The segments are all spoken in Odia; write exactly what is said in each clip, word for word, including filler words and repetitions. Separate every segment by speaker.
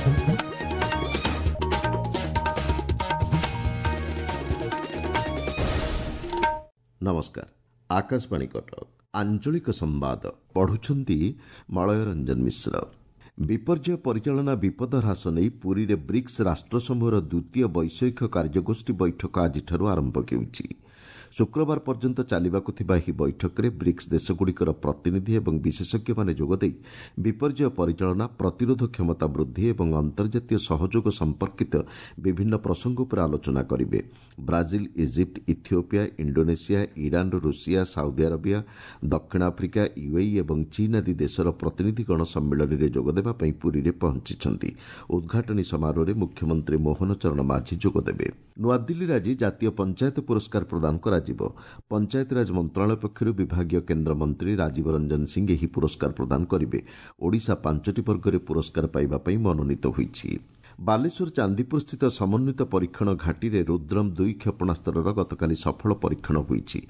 Speaker 1: ନମସ୍କାର, ଆକାଶବାଣୀ କଟକ, ଆଞ୍ଚଳିକ ସମ୍ବାଦ ପଢୁଛନ୍ତି ମଳୟ ରଞ୍ଜନ ମିଶ୍ର। ବିପର୍ଯ୍ୟୟ ପରିଚାଳନା ବିପଦ ହ୍ରାସ ନେଇ ପୁରୀରେ ବ୍ରିକ୍ସ ରାଷ୍ଟ୍ରସମୂହର ଦ୍ୱିତୀୟ ବୈଷୟିକ କାର୍ଯ୍ୟଗୋଷ୍ଠୀ ବୈଠକ ଆଜିଠାରୁ ଆରମ୍ଭ ହେଉଛି। ଶୁକ୍ରବାର ପର୍ଯ୍ୟନ୍ତ ଚାଲିବାକୁ ଥିବା ଏହି ବୈଠକରେ ବ୍ରିକ୍ସ ଦେଶଗୁଡ଼ିକର ପ୍ରତିନିଧି ଏବଂ ବିଶେଷଜ୍ଞମାନେ ଯୋଗଦେଇ ବିପର୍ଯ୍ୟୟ ପରିଚାଳନା, ପ୍ରତିରୋଧ କ୍ଷମତା ବୃଦ୍ଧି ଏବଂ ଅନ୍ତର୍ଜାତୀୟ ସହଯୋଗ ସମ୍ପର୍କିତ ବିଭିନ୍ନ ପ୍ରସଙ୍ଗ ଉପରେ ଆଲୋଚନା କରିବେ। Brazil, Egypt, Ethiopia, Indonesia, Iran, Russia, Saudi Arabia, ଦକ୍ଷିଣ ଆଫ୍ରିକା, ୟୁଏଇ ଏବଂ ଚୀନ୍ ଆଦି ଦେଶର ପ୍ରତିନିଧିଗଣ ସମ୍ମିଳନୀରେ ଯୋଗଦେବା ପାଇଁ ପୁରୀରେ ପହଞ୍ଚିଛନ୍ତି। ଉଦ୍ଘାଟନୀ ସମାରୋହରେ ମୁଖ୍ୟମନ୍ତ୍ରୀ ମୋହନ ଚରଣ ମାଝୀ ଯୋଗଦେବେ। ନୂଆଦିଲ୍ଲୀରେ ଆଜି ଜାତୀୟ ପଞ୍ଚାୟତ ପୁରସ୍କାର ପ୍ରଦାନ କରାଯିବ। ପଞ୍ଚାୟତିରାଜ ମନ୍ତ୍ରଣାଳୟ ପକ୍ଷରୁ ବିଭାଗୀୟ କେନ୍ଦ୍ରମନ୍ତ୍ରୀ ରାଜୀବ ରଞ୍ଜନ ସିଂ ଏହି ପୁରସ୍କାର ପ୍ରଦାନ କରିବେ। ଓଡ଼ିଶା ପାଞ୍ଚଟି ବର୍ଗରେ ପୁରସ୍କାର ପାଇବା ପାଇଁ ମନୋନୀତ ହୋଇଛି। ବାଲେଶ୍ୱର ଚାନ୍ଦିପୁରସ୍ଥିତ ସମନ୍ୱିତ ପରୀକ୍ଷଣ ଘାଟିରେ ରୁଦ୍ରମ୍ ଦୁଇ କ୍ଷେପଣାସ୍ତ୍ରର ଗତକାଲି ସଫଳ ପରୀକ୍ଷଣ ହୋଇଛି।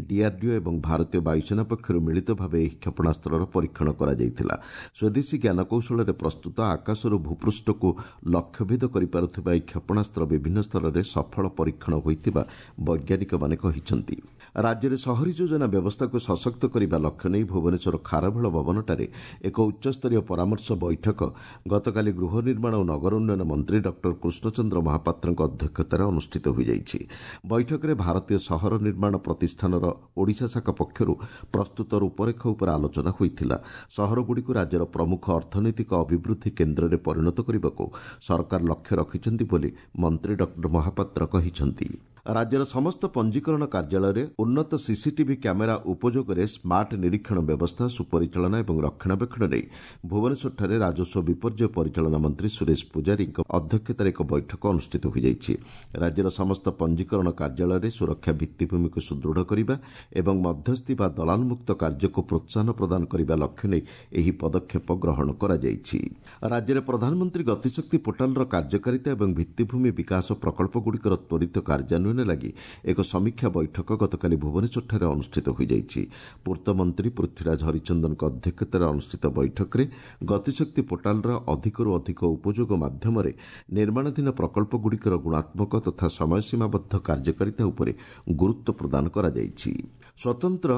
Speaker 1: ଡିଆର୍ଡିଓ ଏବଂ ଭାରତୀୟ ବାୟୁସେନା ପକ୍ଷରୁ ମିଳିତ ଭାବେ ଏହି କ୍ଷେପଣାସ୍ତ୍ରର ପରୀକ୍ଷଣ କରାଯାଇଥିଲା। ସ୍ୱଦେଶୀ ଜ୍ଞାନକୌଶଳରେ ପ୍ରସ୍ତୁତ ଆକାଶରୁ ଭୂପୃଷ୍ଠକୁ ଲକ୍ଷ୍ୟଭେଦ କରିପାରୁଥିବା ଏହି କ୍ଷେପଣାସ୍ତ୍ର ବିଭିନ୍ନ ସ୍ତରରେ ସଫଳ ପରୀକ୍ଷଣ ହୋଇଥିବା ବୈଜ୍ଞାନିକମାନେ କହିଛନ୍ତି। ରାଜ୍ୟରେ ସହରୀ ଯୋଜନା ବ୍ୟବସ୍ଥାକୁ ସଶକ୍ତ କରିବା ଲକ୍ଷ୍ୟ ନେଇ ଭୁବନେଶ୍ୱର ଖାରବେଳ ଭବନଠାରେ ଏକ ଉଚ୍ଚସ୍ତରୀୟ ପରାମର୍ଶ ବୈଠକ ଗତକାଲି ଗୃହ ନିର୍ମାଣ ଓ ନଗର ଉନ୍ନୟନ ମନ୍ତ୍ରୀ ଡକ୍ଟର କୃଷ୍ଣଚନ୍ଦ୍ର ମହାପାତ୍ରଙ୍କ ଅଧ୍ୟକ୍ଷତାରେ ଅନୁଷ୍ଠିତ ହୋଇଯାଇଛି। ବୈଠକରେ ଭାରତୀୟ ସହର ନିର୍ମାଣ ପ୍ରତିଷ୍ଠାନର ଓଡ଼ିଶା ଶାଖା ପକ୍ଷରୁ ପ୍ରସ୍ତୁତ ରୂପରେଖ ଉପରେ ଆଲୋଚନା ହୋଇଥିଲା। ସହରଗୁଡ଼ିକୁ ରାଜ୍ୟର ପ୍ରମୁଖ ଅର୍ଥନୈତିକ ଅଭିବୃଦ୍ଧି କେନ୍ଦ୍ରରେ ପରିଣତ କରିବାକୁ ସରକାର ଲକ୍ଷ୍ୟ ରଖିଛନ୍ତି ବୋଲି ମନ୍ତ୍ରୀ ଡକ୍ଟର ମହାପାତ୍ର କହିଛନ୍ତି। ରାଜ୍ୟର ସମସ୍ତ ପଞ୍ଜୀକରଣ କାର୍ଯ୍ୟାଳୟରେ ଉନ୍ନତ ସିସିଟିଭି କ୍ୟାମେରା ଉପଯୋଗରେ ସ୍ମାର୍ଟ ନିରୀକ୍ଷଣ ବ୍ୟବସ୍ଥା, ସୁପରିଚାଳନା ଏବଂ ରକ୍ଷଣାବେକ୍ଷଣ ନେଇ ଭୁବନେଶ୍ୱରଠାରେ ରାଜସ୍ୱ ବିପର୍ଯ୍ୟୟ ପରିଚାଳନା ମନ୍ତ୍ରୀ ସୁରେଶ ପୂଜାରୀଙ୍କ ଅଧ୍ୟକ୍ଷତାରେ ଏକ ବୈଠକ ଅନୁଷ୍ଠିତ ହୋଇଯାଇଛି। ରାଜ୍ୟର ସମସ୍ତ ପଞ୍ଜୀକରଣ କାର୍ଯ୍ୟାଳୟରେ ସୁରକ୍ଷା ଭିତ୍ତିଭୂମିକୁ ସୁଦୃଢ଼ କରିବା ଏବଂ ମଧ୍ୟସ୍ଥି ବା ଦଲାଲମୁକ୍ତ କାର୍ଯ୍ୟକୁ ପ୍ରୋତ୍ସାହନ ପ୍ରଦାନ କରିବା ଲକ୍ଷ୍ୟ ନେଇ ଏହି ପଦକ୍ଷେପ ଗ୍ରହଣ କରାଯାଇଛି। ରାଜ୍ୟରେ ପ୍ରଧାନମନ୍ତ୍ରୀ ଗତିଶକ୍ତି ପୋର୍ଟାଲର କାର୍ଯ୍ୟକାରିତା ଏବଂ ଭିତ୍ତିଭୂମି ବିକାଶ ପ୍ରକଳ୍ପଗୁଡ଼ିକର ତ୍ୱରିତ କାର୍ଯ୍ୟାନ୍ୱୟନ ଲାଗି ଏକ ସମୀକ୍ଷା ବୈଠକ ଗତକାଲି ଭୁବନେଶ୍ୱରଠାରେ ଅନୁଷ୍ଠିତ ହୋଇଯାଇଛି। ପୂର୍ତ୍ତମନ୍ତ୍ରୀ ପୃଥ୍ୱୀରାଜ ହରିଚନ୍ଦନଙ୍କ ଅଧ୍ୟକ୍ଷତାରେ ଅନୁଷ୍ଠିତ ବୈଠକରେ ଗତିଶକ୍ତି ପୋର୍ଟାଲର ଅଧିକରୁ ଅଧିକ ଉପଯୋଗ ମାଧ୍ୟମରେ ନିର୍ମାଣାଧୀନ ପ୍ରକଳ୍ପଗୁଡ଼ିକର ଗୁଣାତ୍ମକ ତଥା ସମୟସୀମାବଦ୍ଧ କାର୍ଯ୍ୟକାରିତା ଉପରେ ଗୁରୁତ୍ୱ ପ୍ରଦାନ କରାଯାଇଛି। ସ୍ୱତନ୍ତ୍ର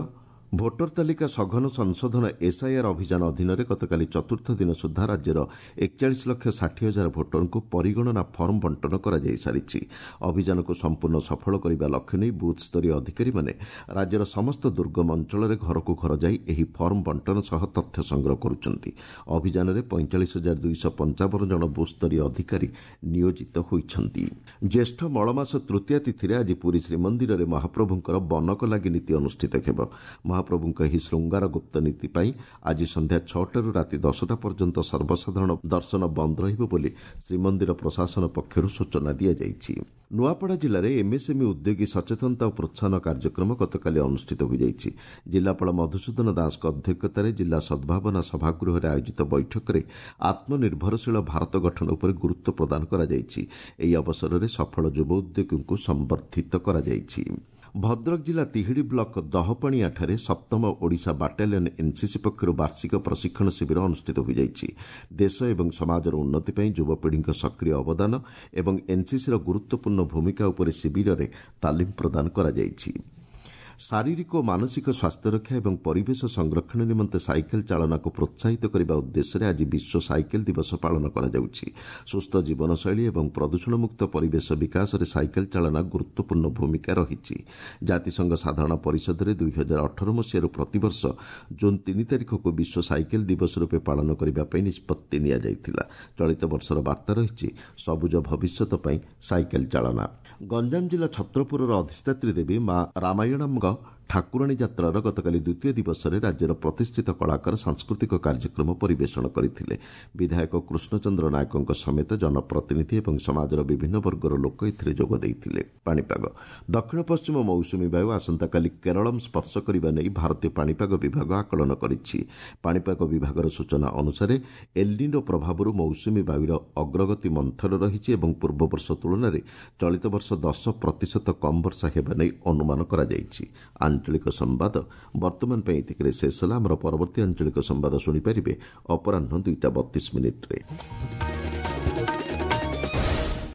Speaker 1: ଭୋଟର ତାଲିକା ସଘନ ସଂଶୋଧନ ଏସ୍ଆଇଆର୍ ଅଭିଯାନ ଅଧୀନରେ ଗତକାଲି ଚତୁର୍ଥ ଦିନ ସୁଦ୍ଧା ରାଜ୍ୟର ଏକଚାଳିଶ ଲକ୍ଷ ଷାଠିଏ ହଜାର ଭୋଟରଙ୍କୁ ପରିଗଣନା ଫର୍ମ ବଣ୍ଟନ କରାଯାଇସାରିଛି। ଅଭିଯାନକୁ ସମ୍ପୂର୍ଣ୍ଣ ସଫଳ କରିବା ଲକ୍ଷ୍ୟ ନେଇ ବୁଥ୍ସ୍ତରୀୟ ଅଧିକାରୀମାନେ ରାଜ୍ୟର ସମସ୍ତ ଦୁର୍ଗମ ଅଞ୍ଚଳରେ ଘରକୁ ଘର ଯାଇ ଏହି ଫର୍ମ ବଣ୍ଟନ ସହ ତଥ୍ୟ ସଂଗ୍ରହ କରୁଛନ୍ତି। ଅଭିଯାନରେ ପଇଁଚାଳିଶ ହଜାର ଦୁଇଶହ ପଞ୍ଚାବନ ଜଣ ବୁଥ୍ସ୍ତରୀୟ ଅଧିକାରୀ ନିୟୋଜିତ ହୋଇଛନ୍ତି। ଜ୍ୟେଷ୍ଠ ମଳମାସ ତୃତୀୟା ତିଥିରେ ଆଜି ପୁରୀ ଶ୍ରୀମନ୍ଦିରରେ ମହାପ୍ରଭୁଙ୍କର ବନକ ଲାଗି ନୀତି ଅନୁଷ୍ଠିତ ହେବ। ମହାପ୍ରଭୁଙ୍କ ଏହି ଶୃଙ୍ଗାର ଗୁପ୍ତ ନୀତି ପାଇଁ ଆଜି ସନ୍ଧ୍ୟା ଛଅଟାରୁ ରାତି ଦଶଟା ପର୍ଯ୍ୟନ୍ତ ସର୍ବସାଧାରଣ ଦର୍ଶନ ବନ୍ଦ ରହିବ ବୋଲି ଶ୍ରୀମନ୍ଦିର ପ୍ରଶାସନ ପକ୍ଷରୁ ସୂଚନା ଦିଆଯାଇଛି। ନୂଆପଡ଼ା ଜିଲ୍ଲାରେ ଏମ୍ଏସ୍ଏମ୍ଇ ଉଦ୍ୟୋଗୀ ସଚେତନତା ଓ ପ୍ରୋତ୍ସାହନ କାର୍ଯ୍ୟକ୍ରମ ଗତକାଲି ଅନୁଷ୍ଠିତ ହୋଇଯାଇଛି। ଜିଲ୍ଲାପାଳ ମଧୁସୂଦନ ଦାସଙ୍କ ଅଧ୍ୟକ୍ଷତାରେ ଜିଲ୍ଲା ସଦ୍ଭାବନା ସଭାଗୃହରେ ଆୟୋଜିତ ବୈଠକରେ ଆତ୍ମନିର୍ଭରଶୀଳ ଭାରତ ଗଠନ ଉପରେ ଗୁରୁତ୍ୱ ପ୍ରଦାନ କରାଯାଇଛି। ଏହି ଅବସରରେ ସଫଳ ଯୁବ ଉଦ୍ୟୋଗୀଙ୍କୁ ସମ୍ବର୍ଦ୍ଧିତ କରାଯାଇଛି। ଭଦ୍ରକ ଜିଲ୍ଲା ତିହିଡ଼ି ବ୍ଲକ ଦହପଣିଆଠାରେ ସପ୍ତମ ଓଡ଼ିଶା ବାଟାଲିୟନ ଏନ୍ସିସି ପକ୍ଷରୁ ବାର୍ଷିକ ପ୍ରଶିକ୍ଷଣ ଶିବିର ଅନୁଷ୍ଠିତ ହୋଇଯାଇଛି। ଦେଶ ଏବଂ ସମାଜର ଉନ୍ନତି ପାଇଁ ଯୁବପିଢ଼ିଙ୍କ ସକ୍ରିୟ ଅବଦାନ ଏବଂ ଏନ୍ସିସିର ଗୁରୁତ୍ୱପୂର୍ଣ୍ଣ ଭୂମିକା ଉପରେ ଶିବିରରେ ତାଲିମ ପ୍ରଦାନ କରାଯାଇଛି। ଶାରୀରିକ ଓ ମାନସିକ ସ୍ୱାସ୍ଥ୍ୟରକ୍ଷା ଏବଂ ପରିବେଶ ସଂରକ୍ଷଣ ନିମନ୍ତେ ସାଇକେଲ ଚାଳନାକୁ ପ୍ରୋତ୍ସାହିତ କରିବା ଉଦ୍ଦେଶ୍ୟରେ ଆଜି ବିଶ୍ୱ ସାଇକେଲ ଦିବସ ପାଳନ କରାଯାଉଛି। ସୁସ୍ଥ ଜୀବନଶୈଳୀ ଏବଂ ପ୍ରଦୂଷଣମୁକ୍ତ ପରିବେଶ ବିକାଶରେ ସାଇକେଲ ଚାଳନା ଗୁରୁତ୍ୱପୂର୍ଣ୍ଣ ଭୂମିକା ରହିଛି। ଜାତିସଂଘ ସାଧାରଣ ପରିଷଦରେ ଦୁଇ ହଜାର ଅଠର ମସିହାରୁ ପ୍ରତିବର୍ଷ ଜୁନ୍ ତିନି ତାରିଖକୁ ବିଶ୍ୱ ସାଇକେଲ ଦିବସ ରୂପେ ପାଳନ କରିବା ପାଇଁ ନିଷ୍ପତ୍ତି ନିଆଯାଇଥିଲା। ଚଳିତ ବର୍ଷର ବାର୍ତ୍ତା ରହିଛି ସବୁଜ ଭବିଷ୍ୟତ ପାଇଁ ସାଇକେଲ ଚାଳନା। ଗଞ୍ଜାମ ଜିଲ୍ଲା ଛତ୍ରପୁରର ଅଧିଷ୍ଠାତ୍ରୀ ଦେବୀ ମା ରାମାୟଣଙ୍କ ଠାକୁରାଣୀ ଯାତ୍ରାର ଗତକାଲି ଦ୍ୱିତୀୟ ଦିବସରେ ରାଜ୍ୟର ପ୍ରତିଷ୍ଠିତ କଳାକାର ସାଂସ୍କୃତିକ କାର୍ଯ୍ୟକ୍ରମ ପରିବେଷଣ କରିଥିଲେ। ବିଧାୟକ କୃଷ୍ଣଚନ୍ଦ୍ର ନାୟକଙ୍କ ସମେତ ଜନପ୍ରତିନିଧି ଏବଂ ସମାଜର ବିଭିନ୍ନ ବର୍ଗର ଲୋକ ଏଥିରେ ଯୋଗ ଦେଇଥିଲେ। ପାଣିପାଗ ଦକ୍ଷିଣ ପଶ୍ଚିମ ମୌସୁମୀ ବାୟୁ ଆସନ୍ତାକାଲି କେରଳମ୍ ସ୍ପର୍ଶ କରିବା ନେଇ ଭାରତୀୟ ପାଣିପାଗ ବିଭାଗ ଆକଳନ କରିଛି। ପାଣିପାଗ ବିଭାଗର ସୂଚନା ଅନୁସାରେ ଏଲ୍ନିନୋ ପ୍ରଭାବରୁ ମୌସୁମୀ ବାୟୁର ଅଗ୍ରଗତି ମନ୍ଥର ରହିଛି ଏବଂ ପୂର୍ବବର୍ଷ ତୁଳନାରେ ଚଳିତ ବର୍ଷ ଦଶ ପ୍ରତିଶତ କମ୍ ବର୍ଷା ହେବା ନେଇ ଅନୁମାନ କରାଯାଇଛି। ଆଞ୍ଚଳିକ ସମ୍ବାଦ ବର୍ତ୍ତମାନ ପାଇଁ ଏତିକିରେ ଶେଷ ହେଲା। ଆମର ପରବର୍ତ୍ତୀ ଆଞ୍ଚଳିକ ସମ୍ବାଦ ଶୁଣିପାରିବେ ଅପରାହ୍ନ ଦୁଇଟା ବତିଶ ମିନିଟ୍ରେ।